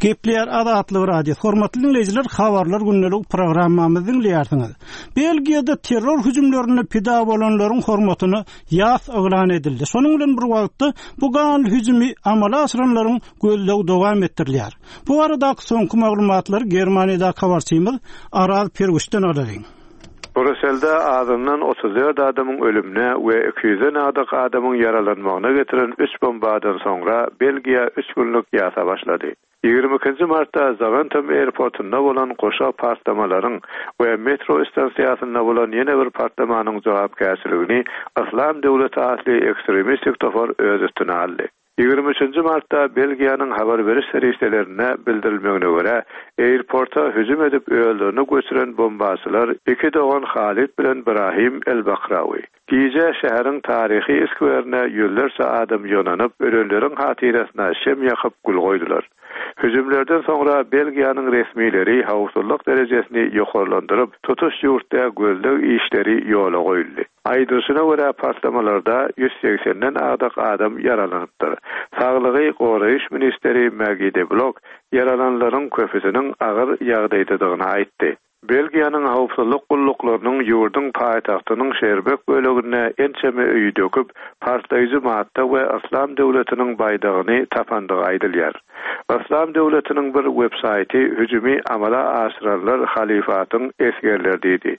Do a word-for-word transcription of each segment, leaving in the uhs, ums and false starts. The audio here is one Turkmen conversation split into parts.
Gepleýär Azatlyk Radiosy. Hormatly dinleýjiler, habarlar gündelik programmamyzy dinleýärsiňiz. Belgiýada terror hüjümlerinde pida bolanlaryň hormatyna ýas yglan edildi. Şonuň bilen bir wagtda bu ganly hüjümi amala aşyranlaryň gözlegi dowam etdirilýär. Bu baradaky soňky maglumatlary Germaniýadaky habarçymyz Araz Perwişden alalyň. Brüsselde azyndan otuz dört adamyň ölümine we iki ýüzden agdyk adamyň ýaralanmagyna getiren üç bombadan soňra Belgiýa üç günlük ýasa başlady. Ýigrimi ikinji martda Zaventem airportunda bolan goşa partlamalaryň we metro stansiýasynda bolan ýene bir partlamanyň jogapkärçiligini Yslam döwleti atly ekstremistik topar öz üstüne aldy. Ýigrimi üçünji martda Belgiýanyň habar beriş serişdelerine bildirilmegine görä, airporta hüjüm edip özlerini göçüren bombaçylar iki dogan Halid bilen Brahim El-Bakrawi. Gije şäheriň taryhy skwerine ýüzlerçe adam ýygnanyp, ölenleriň hatyrasyna şem ýakyp gül goýdular. Hüjümlerden soňra Belgiýanyň resmileri howpsuzlyk derejesini ýokarlandyryp, tutuş ýurtda gözleg işleri ýola goýuldy. Aýdylyşyna görä partlamalarda ýüz segsenden agdyk adam ýaralanypdyr. Saglygy goraýyş ministeri Maggie de Blok ýaralanlaryň köpüsiniň agyr ýagdaýdadygyny aýtdy. Belgiýanyň howpsuzlyk gulluklarynyň ýurduň paýtagtynyň Şerbek böleginde ençeme öýi döküp, partlaýjy madda we Yslam döwletiniň baýdagyny tapandygy aýdylýar. Yslam döwletiniň bir websaýty hüjümi amala aşyranlar halifatyň esgerleri diýdi.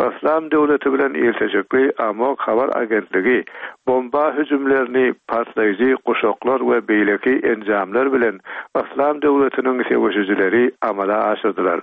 Yslam döwleti bilen ilteşikli Amok habar agentligi bomba hüjümlerini partlaýjy guşaklar we beýleki enjamlar bilen Yslam döwletiniň söweşijileri amala aşyrdylar.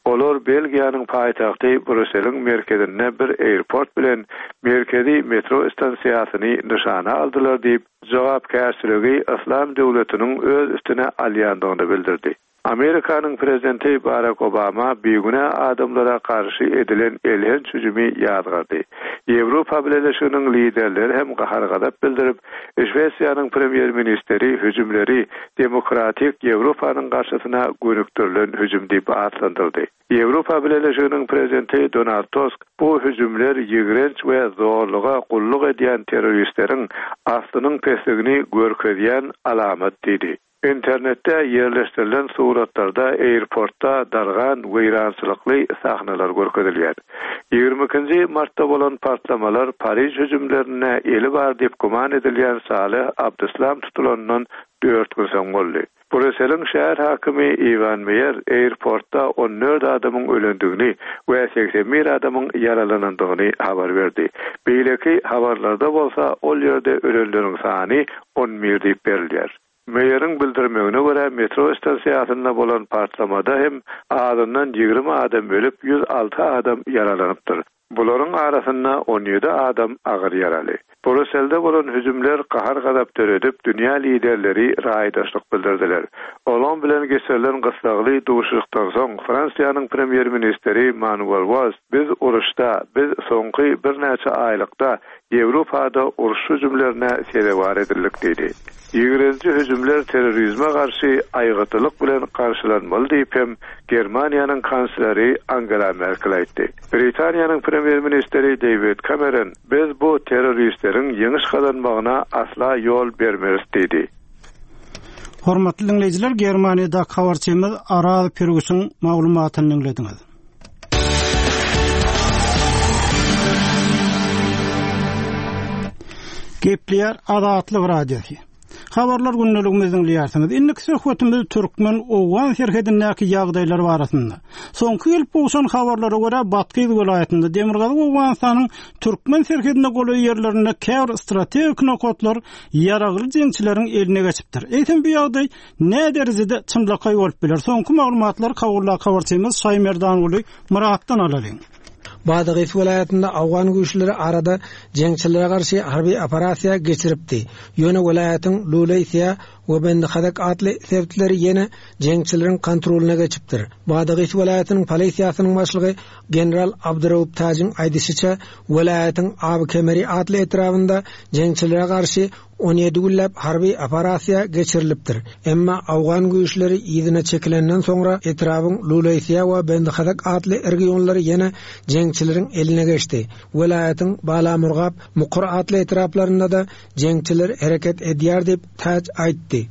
Olar Belgiýanyň paýtagty Brüsseliň merkezinde bir airport bilen merkezi metro stansiýasyny nyşana aldylar diýip, jogapkärçiligi Yslam döwletiniň öz üstüne alýandygyny bildirdi. Amerikanyň prezidenti Barack Obama bigünä adamlara garşy edilen elhenç hüjümi ýazgardy. Ýewropa Bileleşiginiň liderleri hem gahar-gazap bildirip, Şwesiýanyň premýer-ministri hüjümleri Demokratik Ýewropanyň garşysyna gönükdirilen hüjüm diýip atlandyrdy. Ýewropa Bileleşiginiň prezidenti Donald Tusk bu hüjümler ýigrenç we zorluga gulluk edýän terroristleriň aslynyň pesligini görkezýän alamat diýdi. Internetde ýerleşdirilen suratlarda airportda dargan weýrançylykly sahnalar görkezilýär. Ýigrimi ikinji martda bolan partlamalar Pariž hüjümlerine eli bar diýip güman edilýän Saleh Abdeslam tutulandan dört gün soň boldy. Brüsseliň şäher hakimi Iwan Meyer airportda on dört adamyň ölendigini we seksen bir adamyň ýaralanandygyny habar berdi. Beýleki habarlarda bolsa ol ýerde ölenleriň sany on bir diýip berilýär. Meyeriň bildirmegine görä metro stansiýasynda bolan partlamada hem azyndan ýigrimi adam ölüp, ýüz alty adam ýaralanypdyr. Bularyň arasynda on ýedi adam agyr ýaraly. Brüsselde bolan hüjümler gahar-gazap döredip, dünýä liderleri raýdaşlyk bildirdiler. Olan bilen geçirilen gyssagly duşuşykdan soň Fransiýanyň premýer-ministri Manuel Valls biz uruşda, biz soňky birnäçe aýlykda Ýewropada uruş hüjümlerine sezewar edildik diýdi. Ýigrenji hüjümler terrorizme garşy aýgytlylyk bilen garşylanmaly diýip hem Germaniýanyň kansleri Angela Merkel aýtdy. Britaniýanyň premýer-ministri David Cameron biz bu terroristleriň ýeňiş gazanmagyna asla ýol bermeris diýdi. Hormatly dinleýjiler, Germaniýada habarçymyz Araz Pirguşyň maglumatyny dinlediňiz. Gepleýär Azatlyk Radiosy. Habarlar gündeligimizi dinleýärsiňiz. Indiki söhbetimiz Türkmen Owgan serhedindäki ýagdaýlar barasynda. Soňky gelip gowşan habarlara görä Batkyz welaýatynda Demirgazyk Owganystanyň Türkmen serhedinde golaý ýerlerinde käbir strategik nokatlar ýaragly jeňçileriň eline geçipdir. Eýsem bu ýagdaý näme derejede çynlakaý bolup biler? Soňky maglumatlar Kawulla habarçymyz Şaýmerdanguly Muratdan alalyň. Badagys welaýatynda Awgan güýçleri arada jeňçilere garşy harby operasiýa geçiripdi. Ýöne welaýatyň Luleýsiýa we Bendihazak atly sebitleri ýene jeňçileriň kontrolyna geçipdir. Badagys welaýatynyň polisiýasynyň başlygy General Abduraup Tajin aýdyşyça welaýatyň Abi Kemeri atly etrabynda jeňçilere garşy on ýedi günläp harby operasiýa geçirilipdir. Emma Awgan güýçleri yzyna çekilenden soňra etrabyň Luleýsiýa we Bendihazak atly regionlary ýene jeňçileriň eline geçdi. Welaýatyň Balamurgap, Mukur atly etraplarynda da jeňçiler hereket edýär diýip Taj aýtdy.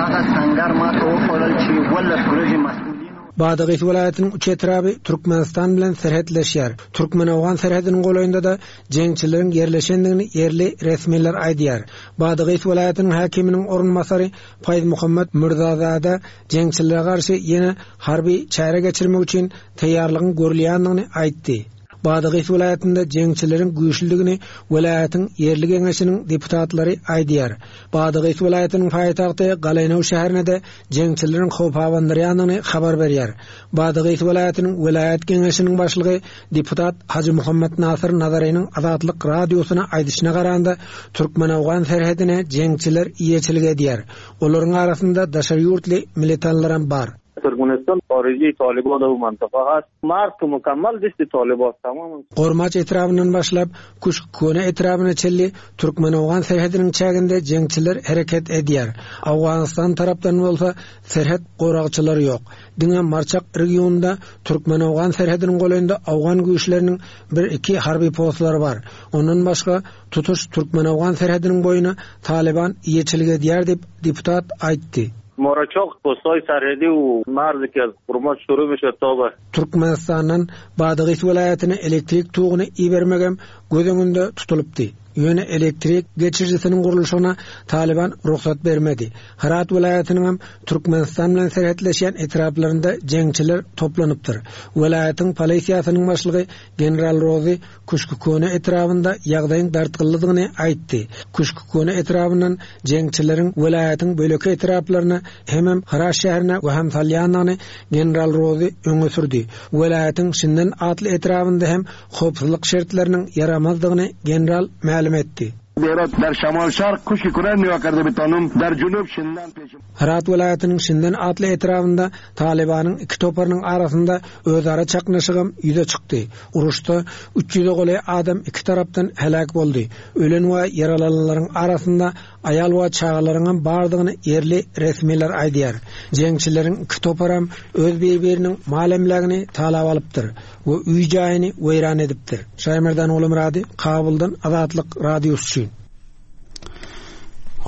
دغه سنګر ماته وښودل چې اوولس ورځې مسؤلینو Badagys welaýatynyň üç etraby Türkmenistan bilen serhetleşýär. Türkmen-Owgan serhediniň golaýynda-da jeňçileriň ýerleşendigini ýerli resmiler aýdýar. Badagys welaýatynyň häkiminiň orunbasary Faýz Muhammed Mürzazada jeňçilere garşy ýene harby çäre geçirmek üçin taýýarlygyň görülýändigini aýtdy. Badagys welaýatynda jeňçileriň güýçlüligini welaýatyň ýerli geňeşiniň deputatlary aýdýar. Badagys welaýatynyň paýtagty Galaýnow şäherinde jeňçileriň howp abandyrýandygyny habar berýär. Badagys welaýatynyň welaýat geňeşiniň başlygy deputat Hajy Muhammed Nasir Nazarynyň Azatlyk radiosyna aýdyşyna garanda Türkmen-Owgan serhedine jeňçiler eýeçilik edýär. Olaryň arasynda daşary ýurtly militanlaram bar. Türkmenistan harici Taliban و منطقه هست مرز که مکمل دست طالبان tamam. Gormaç etrabından başlap Kuşkone etrabına çelli Türkmen-Owgan serhediniň çäginde jeňçiler hereket edýär. Owganistan tarapdan bolsa serhet goragçylary ýok. Diňe Marçak regionunda Türkmen-Owgan serhediniň golaýynda Owgan güýçleriniň bir iki harby postlary bar. Ondan başga tutuş Türkmen-Owgan serhediniň boýuna Taliban eýeçilik edýär diýip deputat aýtdy. Moraçok postay serhedi u marz ki az Gurmaç şuru میشه تا به Türkmenistandan Badagys welaýatyna elektrik tuğuny ibermegem göz öňünde tutulypdy. Ýöne elektrik geçirijisiniň gurluşyna Taliban rugsat bermedi. Herat welaýatynyň hem Türkmenistan bilen serhetleşýän etraplarynda jeňçiler toplanypdyr. Welaýatyň polisiýasynyň başlygy General Rozi Kuşkukone etrabynda ýagdaýyň dartgynlydygyny aýtdy. Kuşkukone etrabyndan jeňçileriň welaýatyň böleki etraplaryna hemem Herat şäherine we hem salýanyny General Rozi öňe sürdi. Welaýatyň Şinden atly etrabynda hem howpsuzlyk şertleriniň ýaramazdygyny general mälim etdi. Herat در شمال شرق کوشک کنن نیا کرده بتانم در جنوب شندن پیش Herat welaýatynyň Şinden atly etrabynda Talibanyň iki toparynyň arasynda özara çaknyşygym ýüze çykdy. Uruşda üç ýüze golaý adam iki tarapdan helak boldy. Ölen we ýaralananlaryň arasynda aýal we çagalaryň bardygyny ýerli resmiler aýdýar. Jeňçileriň iki toparam öz bir-biriniň mal-emlägini talap alypdyr we öý jaýyny weýran edipdir. Şaýmerdan Oglumyrady, Kabuldan Azatlyk radiosy üçin.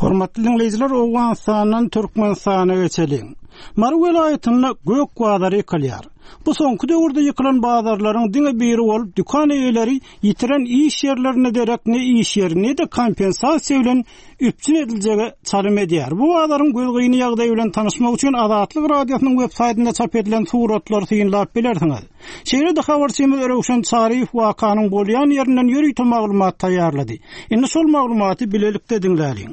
Hormatly dinleýjiler, Owganystandan Türkmenistana geçeliň. Mary welaýatynda gök bazary ýykylýar. Bu soňky döwürde ýykylan bazarlaryň diňe biri bolup, dükan eýeleri ýitiren iş ýerlerine derek ne iş ýeri ne de kompensasiýa bilen üpjün ediljegi çalym edýär. Bu bazaryň gözgyny ýagdaýy bilen tanyşmak üçin Azatlyk radiosynyň web saýtynda çap edilen suratlary synlap bilersiňiz. Şeýle-de habarçymyz Röwşen Çaryýew wakanyň bolýan ýerinden ýörite maglumat taýýarlady. Indi şol maglumaty bilelikde diňläliň.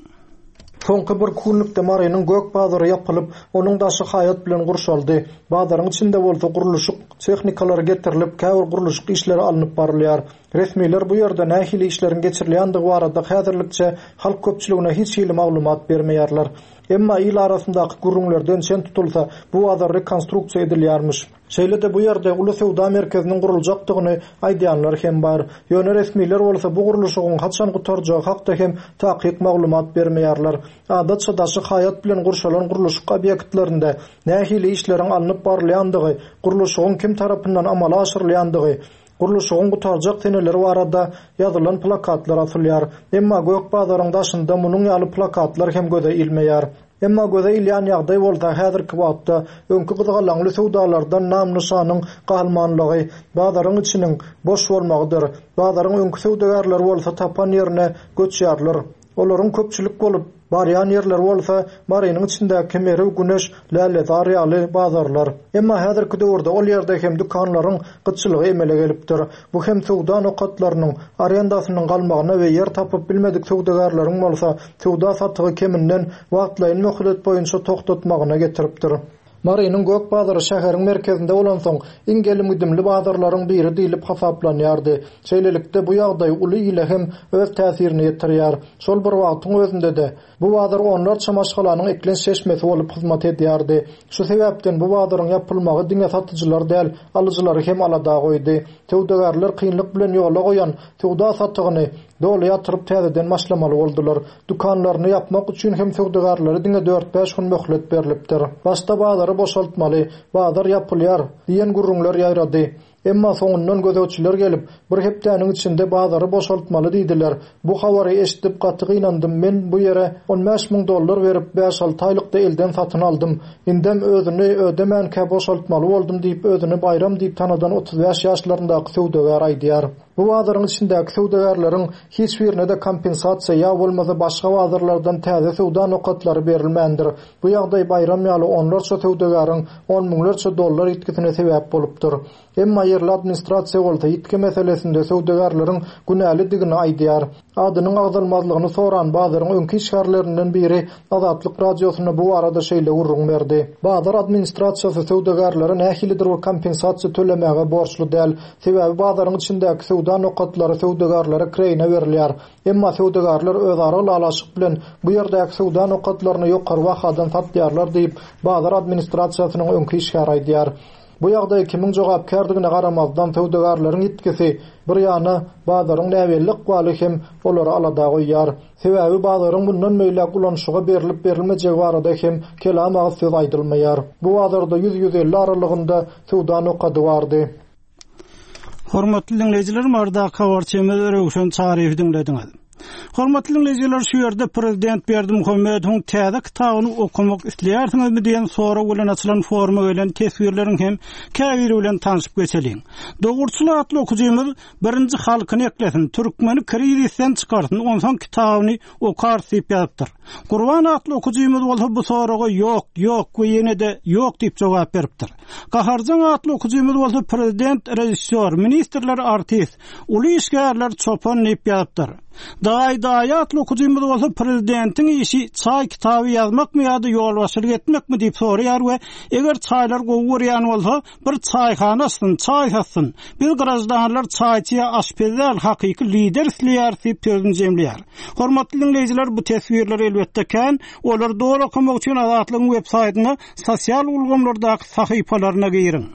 Soňky bir günlükde Marynyň gök bazary ýapylyp, onuň daşy haýat bilen gurşaldy. Bazaryň içinde bolsa gurluşyk tehnikalary getirilip, käbir gurluşyk işleri alnyp barylýar. Resmiler bu ýerde nähili işleriň geçirilýändigi barada häzirlikçe halk köpçüligine hiç hili maglumat bermeýärler. Emma il arasyndaky gürrüňlerden çen tutulsa, bu bazar rekonstruksiýa edilýärmiş. Şeýle-de bu ýerde uly söwda merkeziniň guruljakdygyny aýdýanlar hem bar. Ýöne resmiler bolsa bu gurluşygyň haçan gutarjagy hakda hem takyk maglumat bermeýärler. Adatça daşy haýat bilen gurşalan gurluşyk obýektlerinde nähili işleriň alnyp barylýandygy, gurluşygyň kim tarapyndan amala aşyrylýandygy, gurluşygyň gutarjak seneleri barada ýazylan plakatlar asylýar. Emma gök bazaryň daşynda munuň ýaly plakatlar hem göze ilmeýär. Emma göze ilýän ýagdaý bolsa häzirki wagtda öňkü gyzgalaňly söwdalardan nam-nyşanyň galmanlygy, bazaryň içiniň boş bolmagydyr. Bazaryň öňkü söwdagärleri bolsa tapan ýerine göçýärler. Olaryň köpçülik bolup barýan ýerleri bolsa Marynyň içindäki Merw, Güneş, Lälezar ýaly bazarlar. Emma häzirki döwürde ol ýerde hem dükanlaryň gytçylygy emele gelipdir. Bu hem söwda nokatlarynyň arendasynyň galmagyna we ýer tapyp bilmedik söwdagärleriň bolsa söwda satygy keminden wagtlaýyn möhlet boýunça togtatmagyna getiripdir. Marynyň gök bazary şäheriň merkezinde bolansoň iň gelim-gidimli bazarlaryň biri diýlip hasaplanýardy. Şeýlelikde bu ýagdaý uly ile hem öz täsirini ýetirýär. Şol bir wagtyň özünde-de bu bazar onlarça maşgalanyň eklenç çeşmesi bolup hyzmat edýärdi. Şu sebäpden bu bazaryň ýapylmagy diňe satyjylar däl, alyjylary hem alada goýdy. Söwdagärler kynlyk bilen ýola goýan söwda satygyny doly ýatyryp täzeden başlamaly boldular. Dükanlaryny ýapmak üçin hem söwdagärlere diňe dört-bäş gün möhlet berlipdir. Başda bazary boşaltmaly, bazar ýapylýar diýen gürrüňler ýaýrady. Emma soňundan gözegçiler gelip, bir hepdäniň içinde bazary boşaltmaly diýdiler. Bu habary eşidip gaty gynandym. Men bu ýere on bäş müň dollar berip bäş alty aýlykda elden satyn aldym. Indem özüni ödemänkä boşaltmaly boldum diýip özüni Bayram diýip tanadan otuz bäş ýaşlaryndaky söwdagär aýdýar. Bu bazaryň içindäki söwdagärleriň hiç birine de kompensasiýa ýa bolmasa başga bazarlardan täze söwda nokatlary berilmändir. Bu ýagdaý Bayram ýaly onlarça söwdagäriň on müňlerçe dollar ýitgisine sebäp bolupdyr. Emma ýerli administrasiýa bolsa ýitgi meselesinde söwdagärleriň günälidigini aýdýar. Adynyň agzalmazlygyny soran bazaryň öňki işgärlerinden biri Azatlyk Radiosyna bu arada şeýle gürrüň berdi. Bazar administrasiýasy söwdagärlere nähilidir bir kompensasiýa tölemäge borçly däl. Sebäbi bazaryň içindäki söwda nokatlary söwdagärlere kireýine berilýär. Emma söwdagärler özara ylalaşyk bilen bu ýerdäki söwda nokatlaryny ýokary bahadan satýarlar diýip bazar administrasiýasynyň öňki işgäri aýdýar. Bu ýagdaý kimiň jogapkärdigine garamazdan söwdagärleriň ýitgisi bir ýana bazaryň näbelli ykbaly hem olary alada goýýar. Sebäbi bazaryň bundan beýläk ulanyşyga berilip berilmejegi barada hem kelam agyz söz aýdylmaýar. Bu bazarda ýüz ýüz elli aralygynda söwda nokady bardy. Hormatly dinleýjiler, Marda habarçymyz Röwşen Çaryýewi diňlediňiz. Hormatly dinleýjiler, şu ýerde Prezident Berdimuhamedowyň täze kitabyny okamak isleýärsiňizmi diýen sorag bilen açylan foruma gelen teswirleriň hem käbiri bilen tanışyp geçeliň. Dogruçyl atly okujymyz birinji halkyny eklesin, türkmeni krizisden çykarsyn, onsoň kitabyny okar diýip ýazypdyr. Gurban atly okujymyz bolsa bu soraga ýok, ýok we ýene-de ýok diýip jogap beripdir. Gaharjaň atly okujymyz bolsa prezident, rejissýor, ministrler, artist, uly işgärler çopan diýip ýazypdyr. Daý daý atly okujymyz bolsa prezidentiň işi çaý kitaby ýazmakmy ýa-da ýolbaşçylyk etmekmi diýip soraýar we eger çaýlar gowy görýän bolsa bir çaýhana açsyn, çaý satsyn. Biz grajdanlar çaýçyya aşpez däl, hakyky lider isleýär diýip sözüni jemleýär. Hormatly dinleýjiler, bu teswirler elbetde kän, olar doly okamak üçin Azatlygyň web saýtyna sosial ulgamlardaky sahypalaryna giriň.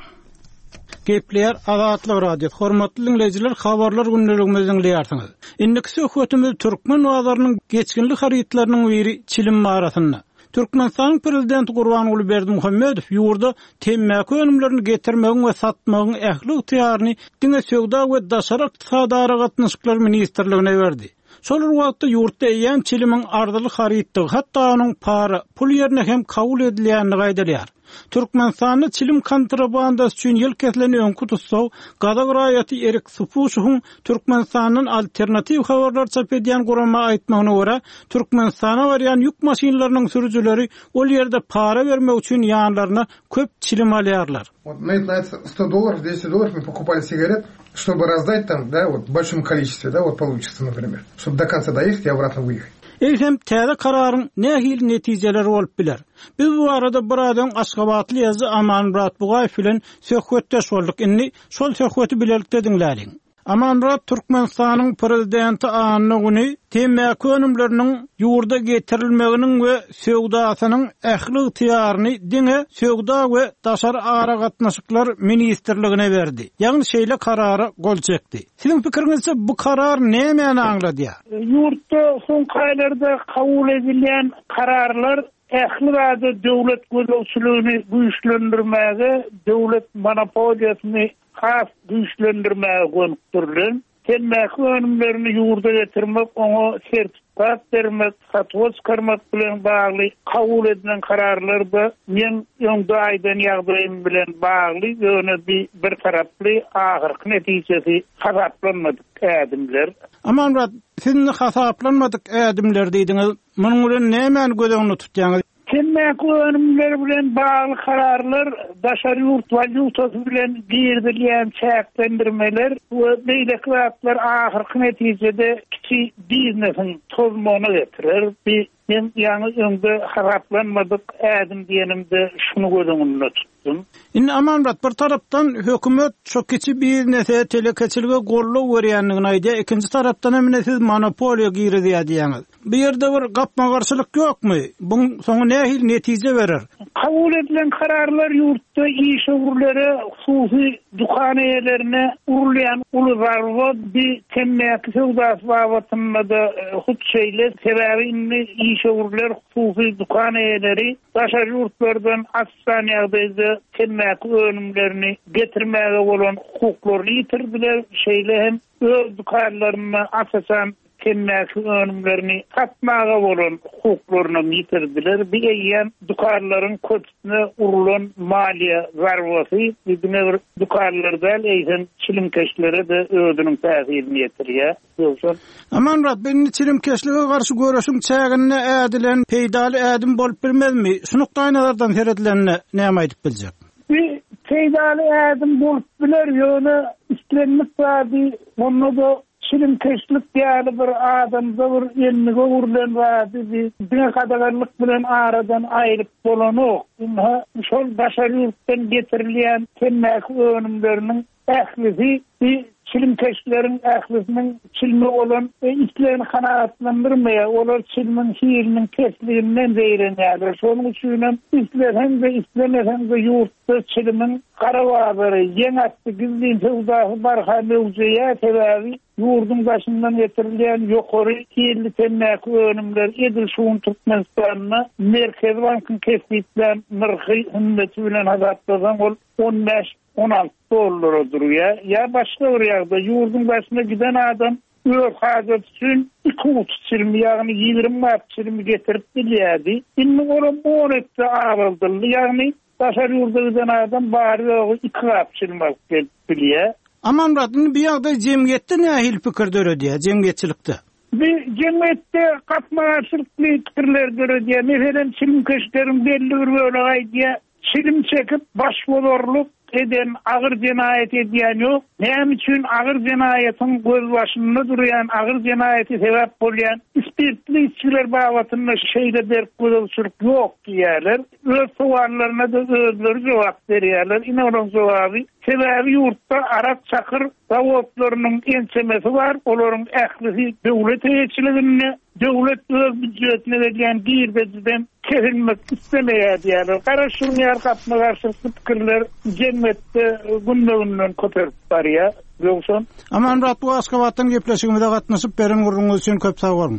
Gepleýär Azatlyk Radiosy. Hormatly dinleýjiler, habarlar gündeligimizi diňleýärsiňiz. Indiki söhbetimiz türkmen bazarynyň geçginli harytlarynyň biri çilim barasynda. Türkmenistanyň prezidenti Gurbanguly Berdimuhamedow ýurda temmäki önümlerini getirmegiň we satmagyň ähli ygtyýaryny diňe Söwda we Daşary ykdysady aragatnaşyklar ministrligine berdi. Şol bir wagtda ýurtda eýýäm çilimiň arzyly harytdygy, hatda onuň para, pul ýerine hem kabul edilýändigi aýdylýar. Türkmenistanda çilim kontrabandasy üçin ýyl kesilen öňki tussag gazak raýaty Erik Supuşowyň Türkmenistandan alternatiw habarlar çap edýän gurama aýtmagyna görä, Türkmenistana barýan ýük maşynlarynyň sürüjileri ol ýerde para bermek üçin ýanlaryna köp çilim alýarlar. Вот на это сто долларов, двести долларов мы покупали сигарет, чтобы раздать там, да, вот в большом количестве, да, вот получится, например, чтобы до конца доехать и обратно выехать. Eýsem täze kararyň nähili netijeleri bolup biler? Biz bu arada bir adam Aşgabatly ýazyjy Amanmyrat Bugaýew bilen söhbetdeş bolduk. Indi şol söhbeti bilelikde diňläliň. Amanmyrat, Türkmenistanyň prezidenti anna güni temmäki önümleriniň ýurda getirilmeginiň we söwdasynyň ähli ygtyýaryny diňe Söwda we Daşary aragatnaşyklar ministrligine berdi. Ýagny şeýle karara gol çekdi. Siziň pikiriňizçe bu karar nämäni aňladýar? Ýurtda soňky aýlarda kabul edilýän kararlar ähli zady döwlet gözegçiligini güýçlendirmäge, döwlet monopoliýasyny has güýçlendirmäge gönükdirilen, temmäki önümlerini ýurda getirmek, oňa sertifikat bermek, satuwa çykarmak bilen bagly kabul edilen kararlar da men öňde aýdan ýagdaýym bilen bagly, ýöne bir, bir taraply ahyrky netijesi hasaplanmadyk ädimler. Amanmyrat, siz indi hasaplanmadyk ädimler diýdiňiz. Munuň bilen nämäni göz öňünde tutýaňyz? Temmäki önümleri bilen bagly kararlar, daşary ýurt walýutasy bilen girizilýän çäklendirmeler we beýleki zatlar ahyrky netijede kiçi biznesiň tozmagyna getirer. Bir men ýaňy öňde hasaplanmadyk ädim diýenimde şuny göz öňünde tutdum. Indi Amanmyrat, bir tarapdan hökümet şu kiçi biznese, telekeçilige goldaw berýändigini aýdýar, ikinji tarapdan hem ine siz monopoliýa girizýär diýýäňiz. Bu ýerde bir gapma-garşylyk ýokmy? Buň soňy nähili netije berer? Kabul Kabul edilen kararlar ýurtda işewürlere, hususy dükan eýelerine urulýan uly zarba bir temmäki söwdasy babatynda-da hut şeýle, sebäbi indi işewürler, hususy dükan eýeleri daşary ýurtlardan açan ýagdaýda temmäki önümlerini getirmäge bolan hukuklaryny ýitirdiler, şeýle hem öz dükanlarynda asasan temmäki önümlerini satmaga bolan hukuklaryny ýitirdiler. Bir eýýäm dükanlaryň köpüsine urulan maliýe zarbasy diňe bir dükanlar däl, eýsem çilimkeşlere-de özüniň täsirini ýetirýär. Ýogsa Amanmyrat, indi çilimkeşlige garşy göreşiň çäginde ädilen peýdaly ädim bolup bilmezmi? Şu nukdaýnazardan seredilende näme aýdyp biljek? Bir peýdaly ädim bolup biler, ýöne islendik zady onda-da çilimkeşlik ýaly bir adamda bir endige urlan zady bir diňe gadaganlyk bilen aradan aýryp bolanok. Ynha şol daşary ýurtdan getirilýän temmäki önümleriniň ählisi bir çilimkeşleriň ählisiniň çilimi bolan islegini kanagatlandyrmaýar. Olar çilimiň hiliniň pesliginden zeýrenýärler. Şonuň üçin hem isleseň-de islemeseň-de ýurtda çilimiň gara bazary, ýeň asty gizlin söwdasy barha möwjeýär, sebäbi ýurduň daşyndan getirilýän ýokary hilli temmäki önümler edil şu gün Türkmenistanda Merkezi Bankyň kesgitlän nyrhy hümmeti bilen hasaplasaň ol on bäş on alty dollara durýar. Ýa başga bir ýagdaý, ýurduň daşyna giden adam öz hajaty üçin iki guty çilimi, ýagny ýigrimi gap çilimi getirip bilýärdi. Indi olam on etse azaldyldy, ýagny daşary ýurda giden adam bary ýogy iki gap çilim alyp gelip bilýär. Amanmyrat, indi bir ýagdaý jemgyýetde nähili pikir döredýär, jemgyýetçilikde? Bir jemgyýetde gapma-garşylykly pikirler döredýär. Meselem, çilimkeşleriň belli bir bölegi aýdýar, çilim çekip başbozarlyk eden agyr jenaýat edýän ýok. Näme üçin agyr jenaýatyň gözbaşynda durýan, agyr jenaýaty sebäp bolýan spirtli içgiler babatynda şeýle berk gözegçilik ýok diýýärler. Öz sowallaryna da özleri jogap berýärler. Ine onuň jogaby. Sebäbi ýurtda arak çakyr zawodlarynyň ençemesi bar. Olaryň ählisi döwlet eýeçiliginde, döwlet öz býujetine gelýän girdejiden kesilmek islemeýär diýýärler. Garaşyň ýar gapma-garşylykly pikirler jemgyýetde günde-günden köpelip barýar. Ýogsa Amanmyrat, bu Aşgabatdan gepleşigimize gatnaşyp beren gürrüňiz üçin köp sag boluň.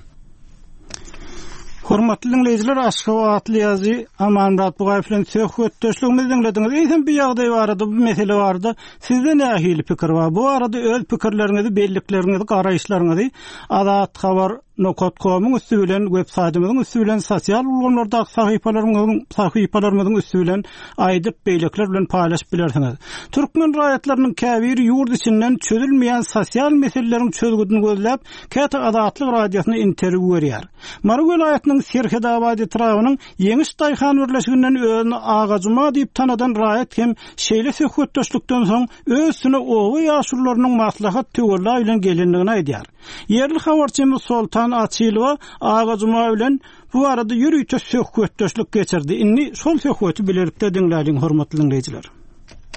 Hormatly dinleýjiler, Aşgabatly ýazyjy Amanmyrat Bugaýew bilen söhbetdeşligimizi diňlediňiz. Eýsem bir ýagdaý barada, bu mesele barada sizde nähili pikir bar? Bu arada öz pikirleriňizi, bellikleriňizi, garaýyşlaryňyzy Azat Habar nokta com'uň üsti bilen, web saýtymyzyň üsti bilen, sosial ulgamlardaky sahypalarymyzyň, sahypalarymyzyň üsti bilen aýdyp, beýlekler bilen paýlaşyp bilersiňiz. Türkmen raýatlarynyň käbiri ýurt içinden çözülmeýän sosial meseleleriň çözgüdini gözläp, käte Azatlyk radiosyna interwýu berýär. Mary welaýatynyň Serhedabad etrabynyň Ýeňiş Daýhan birleşiginden özüni Aga Juma diýip tanadan raýat hem şeýle söhbetdeşlikden soň öz üstüne oba ýaşulularynyň maslahat töwella bilen gelendigini aýdýar. Ýerli habarçymyz Soltan Açylowa Aga Juma bilen bu arada ýörite söhbetdeşlik geçirdi. Indi şol söhbeti bilelikde diňläliň, hormatly dinleýjiler.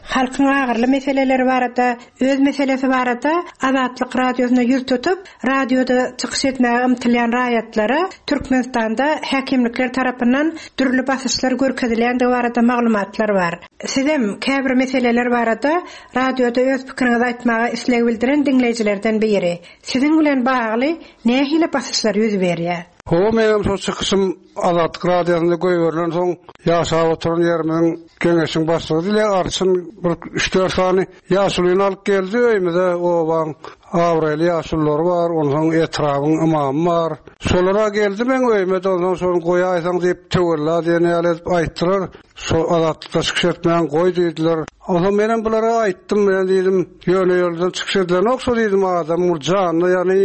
Halkyň agyrly meseleleri barada, öz meselesi barada Azatlyk radiosyna ýüz tutup, radioda çykyş etmäge ymtylýan raýatlara Türkmenistanda häkimlikler tarapyndan dürli basyşlar görkezilýändigi barada maglumatlar bar. Sizem käbir meseleler barada radioda öz pikiriňizi aýtmaga isleg bildiren dinleýjilerden biri. Siziň bilen bagly nähili basyşlar ýüz berýär? Ho, menem şo çykyşym Azatlyk radiosynda goýberilen soň ýaşap oturan ýerimiziň geňeşiň başlygy dile arçyn bir üç dört sany ýaşulyny alyp geldi öýümize, obaň abraýly ýaşululary bar, onsoň etrabyň ymamy bar. Şolara geldi men öýüme, onsoň şony goýaýsaň diýip töwella diýen ýaly edip aýtdylar. Şo Azatlykda çykyş etmäň goý diýdiler. Onsoň menem bulara aýtdym, men diýdim, ýöne ýoldan çykyş edilenok şo diýdim, adam bu janyny ýany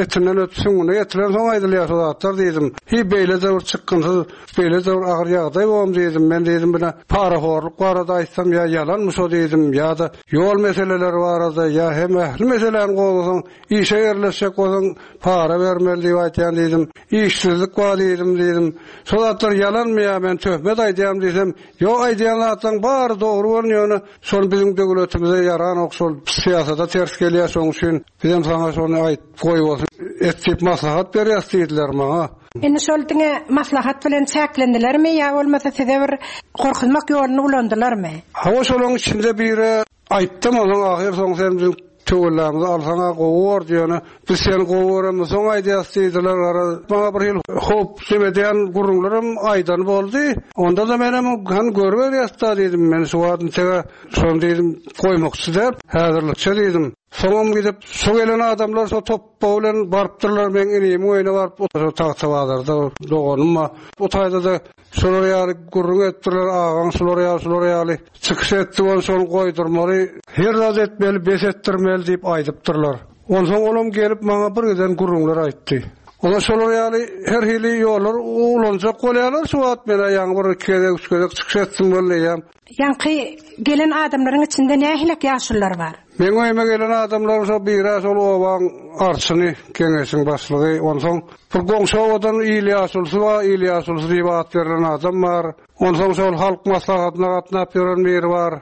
etinden ötüp süňňüne ýetiren soň aýdylýar şo zatlar diýdim. Hi beýle de bir çykgynsyz, beýle de bir agyr ýagdaý bom diýdim. Men diýdim, bile parahorluk barada aýtsam ýa ýalanmy şo diýdim, ýa-da ýol meseleleri barada ýa hem ähli meseläni gozgasaň, işe ýerleşjek bolsaň para bermeli diýip aýtýan diýdim. Işsizlik bar diýdim diýdim. Şo zatlar ýalanmy ýa men töhmet aýdýan diýsem, ýok aýdýan zatlaryň bary dogry bolýar, ýöne şol biziň döwletimize ýaranok, şol syýasata ters gelýär, şonuň üçin bizem saňa şony aýt goý bolsun. et diýip maslahat berýäs diýdiler maňa. Indi şol diňe maslahat bilen çäklendilermi ýa bolmasa size bir gorkuzmak ýoluny ulandylarmy? Hawa şolaryň içinde biri aýtdym onuň ahyr soň sen biziň töwellämizi alsaň-a gowy bor diýene, biz seni gowy göremiz soň aýdýas diýdiler. Gara maňa bir hil howp edýän gürrüňlerim aýdan boldy. Onda-da menem han görüberýäs-da diýdim. Men şu wagt tege şony diýdim goýmakçy däl, häzirlikçe diýdim. Soňam gidip şu gelen adamlar şo topba bilen barypdyrlar, men inimiň öýüne baryp, şo tagta bazarda doganym bar. O taýda-da şolar ýaly gürrüň etdiler, agaň şular ýaly, şular ýaly çykyş etdi, ony şony goýdurmaly, her zat etmeli, bes etdirmeli diýip aýdypdyrlar. Onsoň olam gelip maňa bir giden gürrüňler aýtdy. Ola şolar ýaly her hili ýollar ulanjak bolýarlar, şu wagt mena ýaňy bir iki gezek, üç gezek çykyş etdim bolýam. Ýaňky gelen adamlaryň içinde nähili ýaşulular bar? Men öýüme gelen adamlar şo biri şol obaň arçyny, geňeşiň başlygy, onsoň bir goňşy obadan il ýaşulusy bar, il ýaşulusy diýip at berlen adam bar. Onsoň şol halk maslahatyna gatnap ýören biri bar.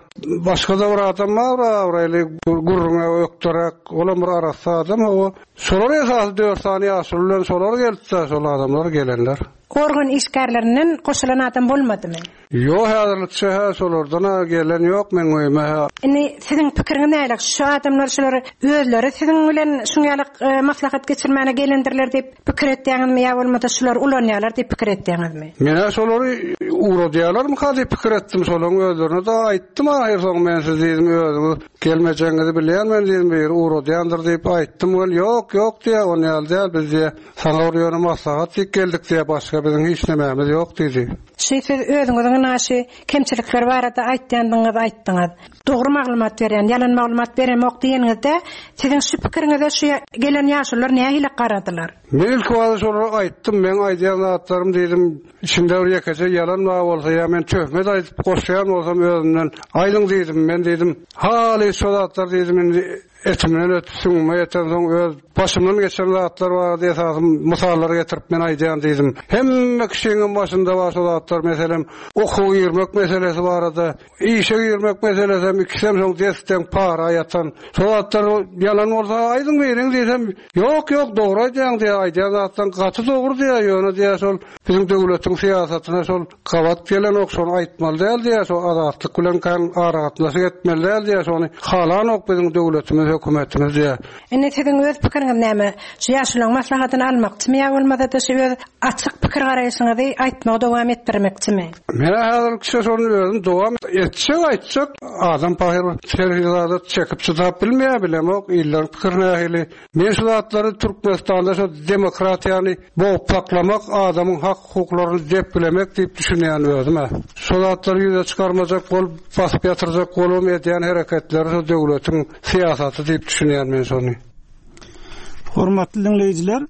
Başga da bir adam bar, abraýly gürrüňe ökderek, olam bir arassa adam o. Şolar esasy dört sany ýaşuly bilen şolar geldi, şol adamlar gelenler. Organ işgärlerinden goşulan adam bolmadymy? Ýok, häzirlikçe hä şolardan ha gelen ýok men öýüme hä. Indi siziň pikiriňiz näle? Şu adamlar şular özleri siziň bilen şuň ýaly e, maslahat geçirmäne gelendirler diýip pikir etýäňizmi ýa bolmasa şular ulanýarlar diýip pikir etýäňizmi? Men şolary uğradýarlarmy ka diýip pikir etdim, şolaryň özlerine da aýtdym ahyr soň men siz diýdim özüňiz gelmejegiňizi bilýän men diýdim bir uğradýandyr diýip aýtdym. Ol ýok, ýok diýe, on ýaly däl biz diýe. Saňa bir ýöne maslahat diýip geldik diýe, başga biziň hiç nämämiz ýok diýdi. Şu siz özüňiziň naşy kemçilikler barada aýtýandyňyz aýtdyňyz. Dogry maglumat berýän, ýalan maglumat beremok diýeniňizde siziň şu pikiriňize şu gelen ýaşulular nähili garadylar? Men ilk wada şolara aýtdym, men aýdýan zatlarym diýdim, içinde bir ýekeje ýalan bar bolsa ýa men töhmet aýdyp goşýan bolsam özümden aýdyň diýdim, men diýdim, haly şo zatlar diýdim, indi etimden ötüp süňňüme ýeten soň öz başymdan geçen zatlar barada esasym mysallar getirip men aýdýan diýdim. Hemme kişiniň başynda bar şo zatlar, meselem, okuwa girmek meselesi barada, işe girmek meselesi hem ikisem soň desden para ýatan. Şo zatlar ýalan bolsa aýdyň beriň diýsem, ýok, ýok, dogry aýdýaň diýe, aýdýan zatdan gaty dogry diýe, ýöne diýe şol biziň döwletiň syýasatyna şol gabat gelen ok şony aýtmaly däl diýe, şo azatlyk bilen kan aragatnaşyk etmeli däl diýe, şony halanok biziň döwletimiz, hökümetimiz diýe. Indi siziň öz pikiriňiz näme? Şu ýaşularyň maslahatyny almakçymy ýa bolmasa-da şu öz açyk pikir garaýşyňyzy aýtmagy dowam etdirmekçimi? Men häzirlikçe şony özüm dowam etjek, aýtjak. Adam pahyr her hili zada çekip çydap bilmeýär, bilemok, illerin pikiri nähili. Men şu zatlary Türkmenistanda şu demokratiýany bogup saklamak, adamyň hak hukuklaryny depgilemek diýip düşünýän özüme. Şu zatlary ýüze çykarmajak bolup, basyp ýatyrjak bolup edýän hereketleri şu döwletiň syýasaty diýip düşünýän men şony. Hormatly dinleýjiler,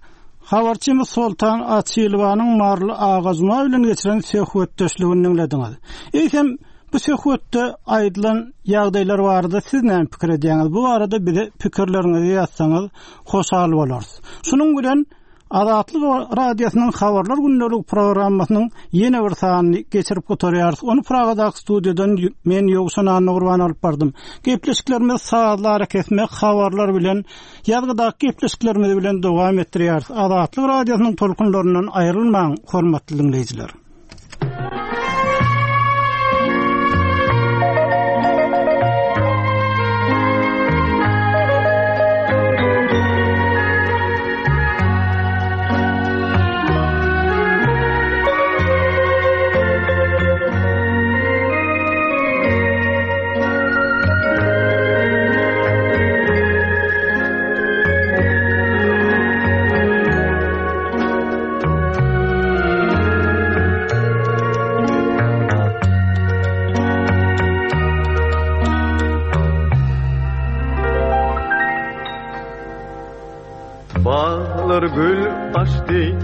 habarçymyz Soltan Açylowanyň Marly Agazma bilen geçiren söhbetdeşligini dinlediňiz. Eýsem bu söhbetde aýdylan ýagdaýlar barada siz näme pikir edýäňiz? Bu barada bize pikirleriňizi ýazsaňyz hoşal bolarys. Şunuň bilen Azatlyk Radiosynyň habarlar gündelik programmasynyň ýene bir sanyny geçirip gutarýarys. Ony Pragadaky studiýadan men Ýowşan Annagurban alyp bardym. Gepleşiklerimiz sazlar kesmek habarlar bilen ýazgydaky gepleşiklerimiz bilen dowam etdirýäris. Azatlyk Radiosynyň tolkunlaryndan aýrylmaň, hormatly dinleýjiler. Bağlar gül açtı,